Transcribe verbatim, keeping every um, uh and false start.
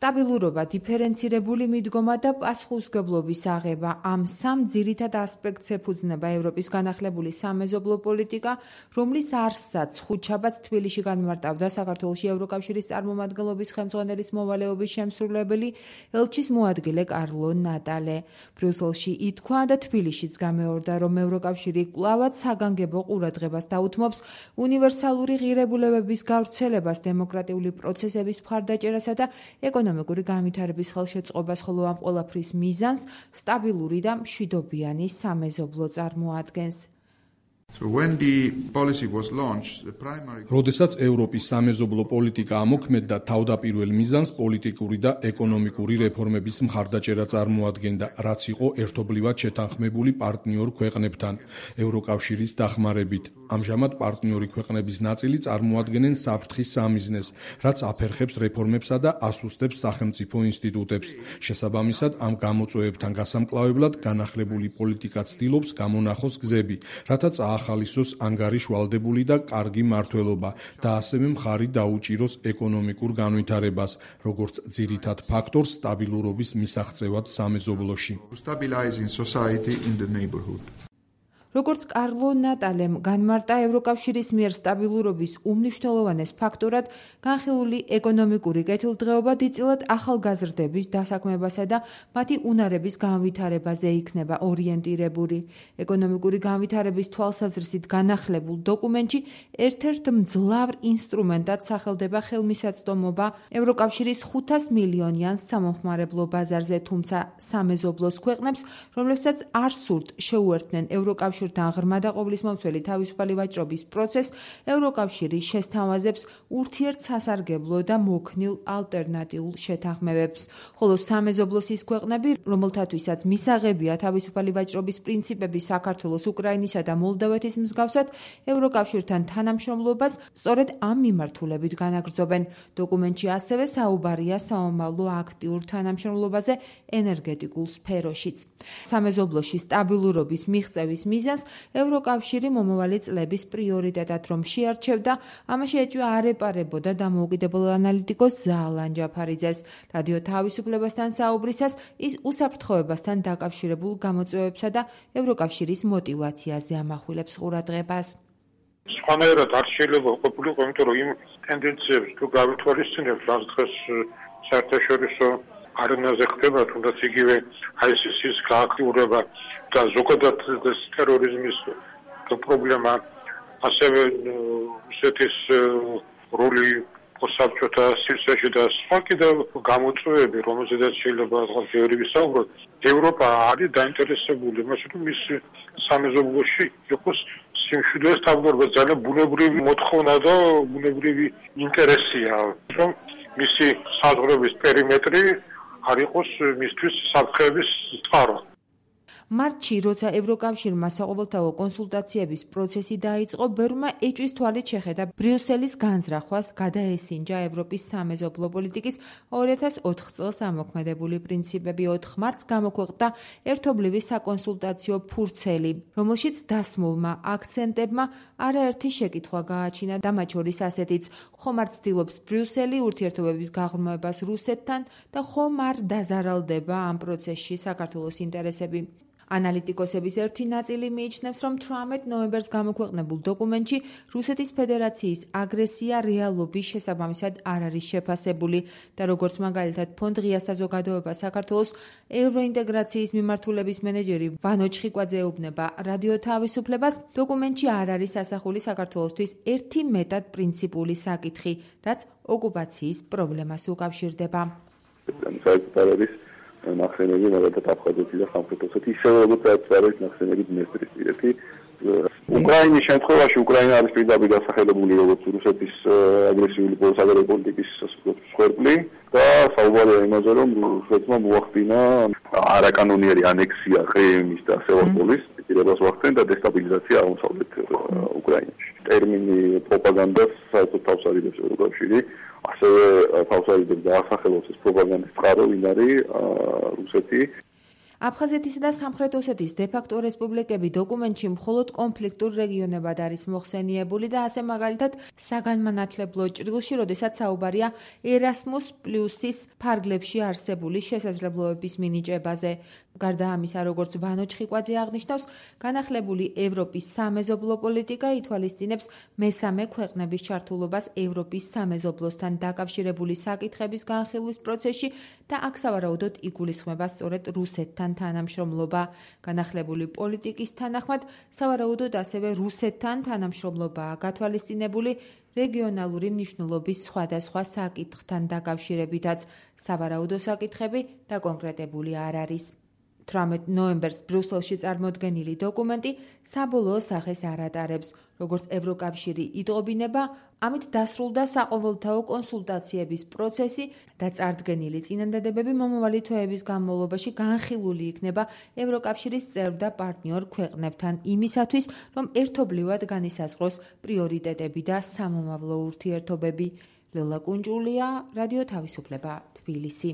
სტაბილურობა, დიფერენცირებული მიდგომა და პასუხისმგებლობის აღება ამ სამ ძირითად ასპექტს ეფუძნება ევროპის განახლებული სამეზობლო პოლიტიკა, რომლის არსსაც ხუთშაბათს თბილისში განმარტავდა საქართველოში ევროკავშირის წარმომადგენლობის ხელმძღვანელის მოვალეობის შემსრულებელი ელჩის მოადგილე კარლო ნატალე. ბრიუსელში ითქვა და თბილისშიც გამეორდა, რომ ევროკავშირი კვლავად საგანგებო ყურადღებას დაუთმობს უნივერსალური ღირებულებების გავრცელებას, დემოკრატიული პროცესების მხარდაჭერასა და ეკონომიკური განვითარების ხელშეწყობას, ხოლო ამ ყველაფრის მიზანს სტაბილური და მშვიდობიანი სამეზობლო წარმოადგენს. როდესაც ევროპის სამეზობლო პოლიტიკა ამოქმედდა, თავდაპირველ მიზანს პოლიტიკური და ეკონომიკური რეფორმების მხარდაჭერა წარმოადგენდა, რაც იყო ერთობლივად შეთანხმებული პარტნიორ ქვეყნებთან ევროკავშირის დახმარებით. ამჟამად პარტნიორი ქვეყნების ნაწილი წარმოადგენენ საფრთხის სამიზნეს, რაც აფერხებს რეფორმებსა და ასუსტებს სახელმწიფო ინსტიტუტებს. შესაბამისად, ამ გამოწვევებთან გასამკლავებლად განახლებული პოლიტიკა ცდილობს გამონახოს გზები, რათა ახალისოს ანგარიშ ვალდებული და კარგი მართლობა და ასევე მხარი დაუჭიროს ეკონომიკურ განვითარებას, როგორც ძირითად ფაქტორს სტაბილურობის მისაღწევად სამეზობლოში. როგორც კარლო ნატალემ განმარტა, ევროკავშირის მიერ სტაბილურობის უმნიშვნელოვანეს ფაქტორად განხილული ეკონომიკური კეთილდღეობა დიდწილად ახალგაზრდების დასაქმებასა და მათი უნარების განვითარებაზე იქნება ორიენტირებული. ეკონომიკური განვითარების თვალსაზრისით განახლებულ დოკუმენტში ერთ-ერთ მძლავრ ინსტრუმენტად სახელდება ხელმისაწვდომობა ევროკავშირის ხუთას მილიონიან სამომხმარებლო ბაზარზე, თუმცა სამეზობლოს ქვეყნებს, რომლებსაც არ სურთ შეუერთდნენ ევროკავშირს ღრმა და ყოვლისმომცველი თავისუფალი ვაჭრობის პროცესს, ევროკავშირი შესთავაზებს ურთიერთსასარგებლო და მოქნილ ალტერნატიულ შეთანხმებებს, ხოლო სამეზობლოს ის ქვეყნები, რომელთათვისაც მისაღებია თავისუფალი ვაჭრობის პრინციპები, საქართველოს, უკრაინისა და მოლდოვეთის მსგავსად, ევროკავშირთან თანამშრომლობას სწორედ ამ მიმართულებით განაგრძობენ. დოკუმენტში ასევე საუბარია სამომავლო აქტიურ თანამშრომლობაზე ენერგეტიკულ სფეროშიც. სამეზობლოში სტაბილურობის მიღწევის მიზანს ევროკავშირი მომავალი წლების პრიორიტეტად რომ შეარჩევდა, ამაში ეჭვია არ ეპარებოდა დამოუკიდებელ ანალიტიკოს ზაალან ჯაფარიძეს. რადიო თავისუფლებასთან საუბრისას ის უსაფრთხოებასთან დაკავშირებულ გამოწვევებსა და ევროკავშირის მოტივაციაზე ამახვილებს ყურადღებას. სხვანაირად არ შეიძლება ყოფილიყო, იმიტომ რომ იმ ტენდენციებს თუ გავითვალისწინებთ, რაც დღეს საერთაშორისო არენაზე ხდება, თუნდაც იგივე აი სი სის გააქტიურება და ზოგადად ტერორიზმის პრობლემა, ასევე რუსეთის როლი საბჭოთა სივრცეში და სხვა კიდევ გამოწვევები, რომელზედაც შეიძლება ბევრი ვისაუბროთ. ევროპა არის დაინტერესებული იმაში, რომ მის სამეზობლოში იყოს სიმშვიდე და სტაბილურობა, ძალიან ბუნებრივი მოთხოვნა და ბუნებრივი ინტერესია, რომ მისი საზღვრების პერიმეტრი არ იყოს მისთვის საფრთხეების წყარო. მარტში, როცა ევროკავშირმა საყოველთაო კონსულტაციების პროცესი დაიწყო, ბევრმა ეჭვის თვალით შეხედა ბრიუსელის განზრახვას, გადაესინჯა ევროპის სამეზობლო პოლიტიკის ორი ათას ოთხ წელს ამოქმედებული პრინციპები. ოთხ მარტს გამოქვეყნდა ერთობლივი საკონსულტაციო ფურცელი, რომელშიც დასმულმა აქცენტებმა არაერთი შეკითხვა გააჩინა და მათ შორის ასეთიც: ხომ არ ცდილობს ბრიუსელი ურთიერთობების გაღრმავებას რუსეთთან და ხომ არ დაზარალდება ამ პროცესში საქართველოს ინტერესები. ანალიტიკოსების ერთი ნაწილი მიიჩნევს, რომ თვრამეტ ნოემბერს გამოქვეყნებულ დოკუმენტში რუსეთის ფედერაციის აგრესია რეალობის შესაბამისად არ არის შეფასებული და როგორც მაგალითად ფონდ ღია საზოგადოება საქართველოს ევროინტეგრაციის მიმართულების მენეჯერი ვანო ჩხიკვაძე ეუბნება რადიო თავისუფლებას, დოკუმენტში არ არის ასახული საქართველოსთვის ერთი მეტად პრინციპული საკითხი, რაც ოკუპაციის პრობლემას უკავშირდება. ნახსენები მაგალითად აფხაზეთი და სამხრეთ ოსეთი ისევე როგორც არის ნახსენები დნესტრისპირეთი. უკრაინის შემთხვევაში უკრაინა არის პირდაპირ დასახელებული როგორც რუსეთის აგრესიული საგარეო პოლიტიკის მსხვერპლი და საუბარია იმაზე, რომ რუსეთმა მოახდინა არაკანონიერი ანექსია ყრიმის და სევასტოპოლის პირებას მოახდინა და დესტაბილიზაცია აღმოსავლეთ უკრაინაში. ტერმინი პროპაგანდას საერთოდ თავს არიდებს ევროკავშირი. ასევე თავს არიდებს და ასახელოს ეს პროპაგანდის წყარო, ვინ არის რუსეთი. აფხაზეთისა და სამხრეთ ოსეთის დე-ფაქტო რესპუბლიკები დოკუმენტში მხოლოდ კონფლიქტურ რეგიონებად არის მოხსენიებული და ასე მაგალითად საგანმანათლებლო ჭრილში, როდესაც საუბარია ერასმუს პლუსის ფარგლებში არსებული შესაძლებლობების მინიჭებაზე. გარდა ამისა, როგორც ვანო ჩხიკვაძე აღნიშნავს, განახლებული ევროპის სამეზობლო პოლიტიკა ითვალისწინებს მესამე ქვეყნების ჩართულობას ევროპის სამეზობლოსთან დაკავშირებული საკითხების განხილვის პროცესში და აქ სავარაუდოდ იგულისხმება სწორედ რუსეთთან თანამშრომლობა. განახლებული პოლიტიკის თანახმად, სავარაუდოდ ასევე რუსეთთან თანამშრომლობაა გათვალისწინებული რეგიონალური მნიშვნელობის სხვადასხვა საკითხთან დაკავშირებითაც. სავარაუდო საკითხები დაკონკრეტებული არ არის. თვრამეტ ნოემბერს ბრიუსელში წარმოდგენილი დოკუმენტი საბოლოო სახეს არ ატარებს. როგორც ევროკავშირი იტყობინება, ამით დასრულდა საყოველთაო კონსულტაციების პროცესი და წარდგენილი წინადადებები მომავალი თვეების განმავლობაში განხილული იქნება ევროკავშირის წევრ და პარტნიორ ქვეყნებთან იმისათვის, რომ ერთობლივად განისაზღვროს პრიორიტეტები და სამომავლო ურთიერთობები. ლელა კუნჯულია, რადიო თავისუფლება, თბილისი.